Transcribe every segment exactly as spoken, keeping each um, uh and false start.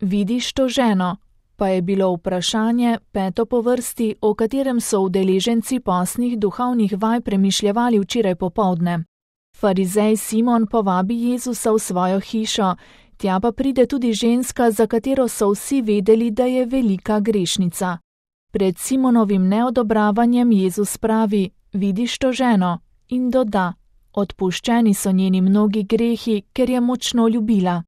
vidiš to ženo? Pa je bilo vprašanje, peto po vrsti, o katerem so udeleženci postnih duhovnih vaj premišljevali včeraj popoldne. Farizej Simon povabi Jezusa v svojo hišo, tja pa pride tudi ženska, za katero so vsi vedeli, da je velika grešnica. Pred Simonovim neodobravanjem Jezus pravi, vidiš to ženo? In doda, odpuščeni so njeni mnogi grehi, ker je močno ljubila.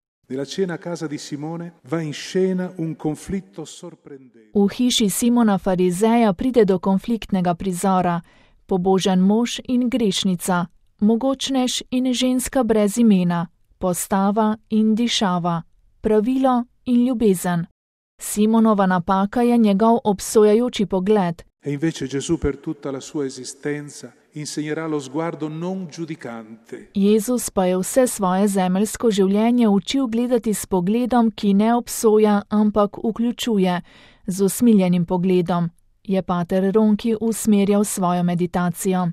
V hiši Simona Farizeja pride do konfliktnega prizora, pobožen mož in grešnica, mogočnež in ženska brez imena, postava in dišava, pravilo in ljubezen. Simonova napaka je njegov obsojajoči pogled. E invece Gesù per tutta la sua esistenza insegnerà lo sguardo non giudicante. Jezus pa je vse svoje zemeljsko življenje učil gledati s pogledom, ki ne obsoja, ampak vključuje, z usmiljenim pogledom, je pater Ronki usmerjal svojo meditacijo.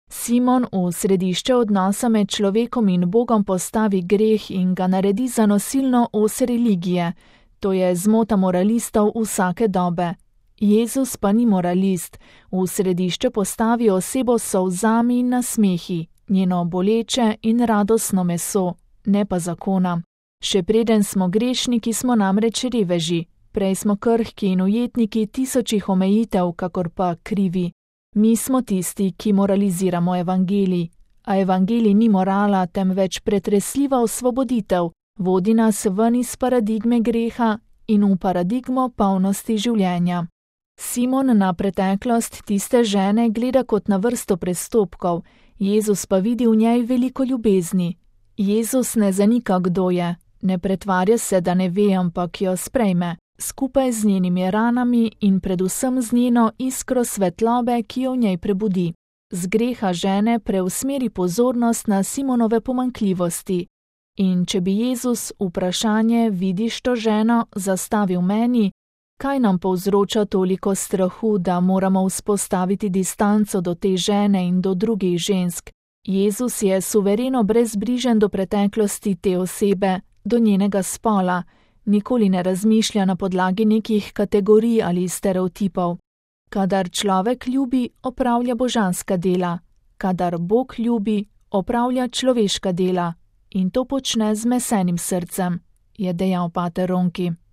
Simon v središče odnosa med človekom in Bogom postavi greh in ga naredi za nosilno os religije, to je zmota moralistov vsake dobe. Jezus pa ni moralist, v središče postavi osebo s solzami in nasmehi, njeno boleče in radostno meso, ne pa zakona. Še preden smo grešniki, smo namreč reveži, prej smo krhki in ujetniki tisočih omejitev, kakor pa krivi. Mi smo tisti, ki moraliziramo evangelij, a evangelij ni morala, temveč pretresljiva osvoboditev, vodi nas ven iz paradigme greha in v paradigmo polnosti življenja. Simon na preteklost tiste žene gleda kot na vrsto prestopkov, Jezus pa vidi v njej veliko ljubezni. Jezus ne zanika, kdo je, ne pretvarja se, da ne ve, ampak jo sprejme, skupaj z njenimi ranami in predvsem z njeno iskro svetlobe, ki jo v njej prebudi. Z greha žene preusmeri pozornost na Simonove pomanjkljivosti. In če bi Jezus vprašanje, vidiš to ženo, zastavil meni, kaj nam povzroča toliko strahu, da moramo vzpostaviti distanco do te žene in do drugih žensk? Jezus je suvereno brezbrižen do preteklosti te osebe, do njenega spola, nikoli ne razmišlja na podlagi nekih kategorij ali stereotipov. Kadar človek ljubi, opravlja božanska dela, kadar Bog ljubi, opravlja človeška dela in to počne z mesenim srcem, je dejal pater Ronki.